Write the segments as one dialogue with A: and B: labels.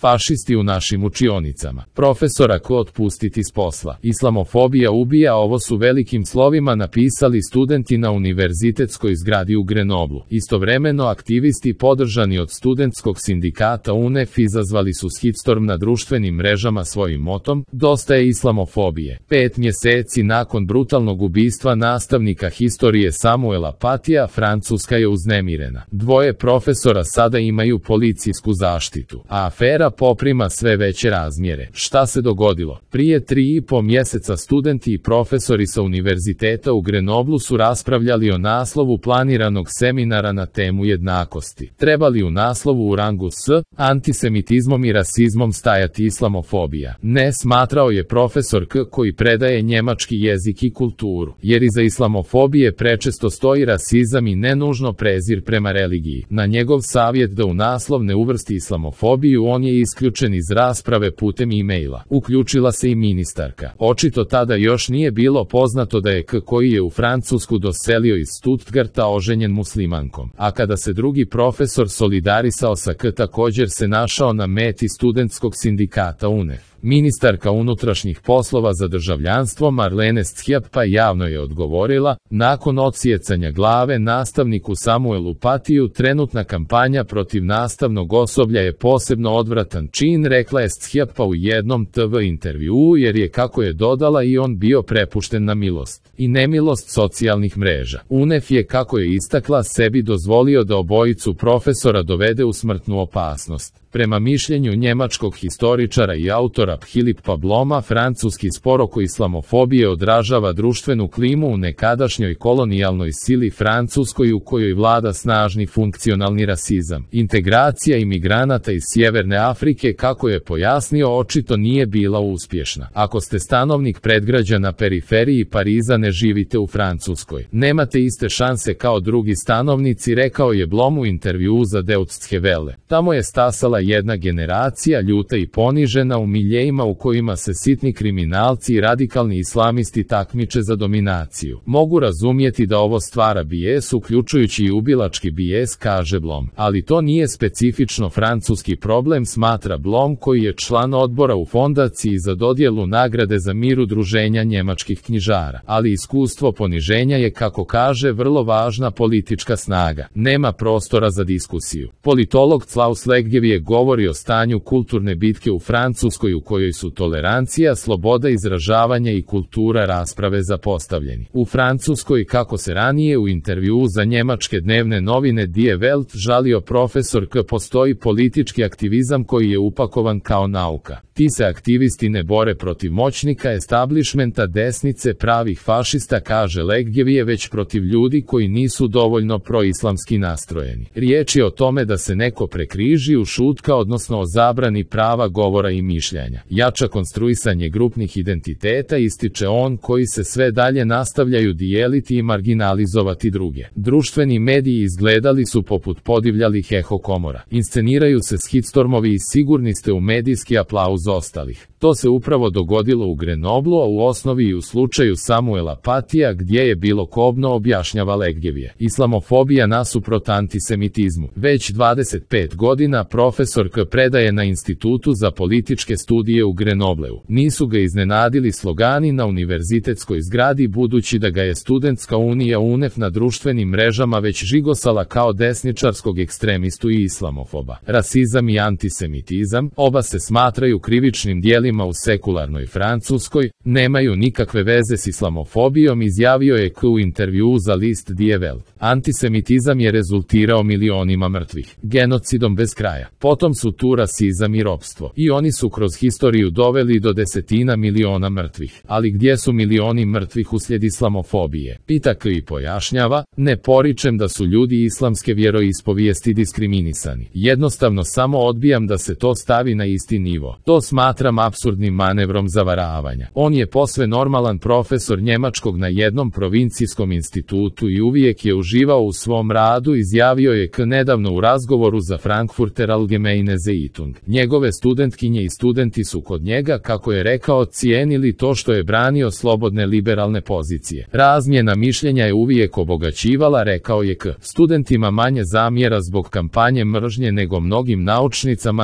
A: Fašisti u našim učionicama. Profesora K otpustiti s posla. Islamofobija ubija, ovo su velikim slovima napisali studenti na univerzitetskoj zgradi u Grenoblu. Istovremeno aktivisti podržani od studentskog sindikata UNEF izazvali su shitstorm na društvenim mrežama svojim motom "Dosta je islamofobije". 5 mjeseci nakon brutalnog ubistva nastavnika historije Samuela Patija, Francuska je uznemirena. 2 profesora sada imaju policijsku zaštitu, a afera poprima sve veće razmjere. Šta se dogodilo? Prije 3,5 mjeseca studenti i profesori sa univerziteta u Grenoblu su raspravljali o naslovu planiranog seminara na temu jednakosti. Treba li u naslovu u rangu s antisemitizmom i rasizmom stajati islamofobija? Ne, smatrao je profesor K koji predaje njemački jezik i kulturu, jer iza islamofobije prečesto stoji rasizam i nenužno prezir prema religiji. Na njegov savjet da u naslov ne uvrsti islamofobiju, on je isključen iz rasprave putem e-maila. Uključila se i ministarka. Očito tada još nije bilo poznato da je K koji je u Francusku doselio iz Stuttgarta oženjen muslimankom. A kada se drugi profesor solidarisao sa K, također se našao na meti studentskog sindikata UNEF. Ministarka unutrašnjih poslova za državljanstvo Marlene Schiapp javno je odgovorila: nakon odsjecanja glave nastavniku Samuelu Patiju, trenutna kampanja protiv nastavnog osoblja je posebno odvratan čin, rekla je Schiapp u jednom TV intervjuu, jer je, kako je dodala, i on bio prepušten na milost i nemilost socijalnih mreža. UNEF je, kako je istakla, sebi dozvolio da obojicu profesora dovede u smrtnu opasnost. Prema mišljenju njemačkog historičara i autora Philippa Bloma, francuski spor oko islamofobije odražava društvenu klimu u nekadašnjoj kolonijalnoj sili Francuskoj, u kojoj vlada snažni funkcionalni rasizam. Integracija imigranata iz Sjeverne Afrike, kako je pojasnio, očito nije bila uspješna. Ako ste stanovnik predgrađa na periferiji Pariza, ne živite u Francuskoj, nemate iste šanse kao drugi stanovnici, rekao je Blom u intervjuu za Deutsche Welle. Tamo je stasala jedna generacija ljuta i ponižena u miljejima u kojima se sitni kriminalci i radikalni islamisti takmiče za dominaciju. Mogu razumjeti da ovo stvara bijes, uključujući i ubilački bijes, kaže Blom. Ali to nije specifično francuski problem, smatra Blom, koji je član odbora u fondaciji za dodjelu nagrade za mir udruženja njemačkih knjižara. Ali iskustvo poniženja je, kako kaže, vrlo važna politička snaga. Nema prostora za diskusiju. Politolog Klaus Leggevie govori o stanju kulturne bitke u Francuskoj, u kojoj su tolerancija, sloboda izražavanja i kultura rasprave zapostavljeni. U Francuskoj, kako se ranije u intervjuu za njemačke dnevne novine Die Welt žalio profesor K, postoji politički aktivizam koji je upakovan kao nauka. Ti se aktivisti ne bore protiv moćnika, establishmenta, desnice, pravih fašista, kaže Leggevie, već protiv ljudi koji nisu dovoljno proislamski nastrojeni. Riječ je o tome da se neko prekriži, ušutka, odnosno o zabrani prava govora i mišljenja. Jača konstruisanje grupnih identiteta, ističe on, koji se sve dalje nastavljaju dijeliti i marginalizovati druge. Društveni mediji izgledali su poput podivljalih eho komora. Insceniraju se shitstormovi i sigurni ste u medijski aplauz ostalih. To se upravo dogodilo u Grenoblu, a u osnovi i u slučaju Samuela Patija, gdje je bilo kobno, objašnjava Leggevie. Islamofobija nasuprot antisemitizmu. Već 25 godina profesor K predaje na Institutu za političke studije u Grenobleu. Nisu ga iznenadili slogani na univerzitetskoj zgradi, budući da ga je studentska unija UNEF na društvenim mrežama već žigosala kao desničarskog ekstremistu i islamofoba. Rasizam i antisemitizam, oba se smatraju krivičnim djelima u sekularnoj Francuskoj, nemaju nikakve veze s islamofobijom, izjavio je K u intervjuu za list Die Welt. Antisemitizam je rezultirao milionima mrtvih, genocidom bez kraja. Potom su tu rasizam i ropstvo. I oni su kroz historiju doveli do desetina miliona mrtvih. Ali gdje su milioni mrtvih uslijed islamofobije? Pita K i pojašnjava: ne poričem da su ljudi islamske vjeroispovijesti diskriminisani. Jednostavno samo odbijam da se to stavi na isti nivo. To smatram apsurdnim manevrom zavaravanja. On je posve normalan profesor njemačkog na jednom provincijskom institutu i uvijek je uživao u svom radu, izjavio je nedavno u razgovoru za Frankfurter Allgemeine Zeitung. Njegove studentkinje i studenti su kod njega, kako je rekao, cijenili to što je branio slobodne liberalne pozicije. Razmjena mišljenja je uvijek obogaćivala, rekao je studentima manje zamjera zbog kampanje mržnje nego mnogim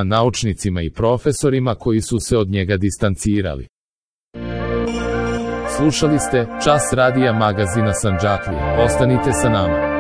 A: naučnicima i profesorima koji su se od njega distancirali. Slušali ste Čas radija magazina Sandžaklija. Ostanite sa nama.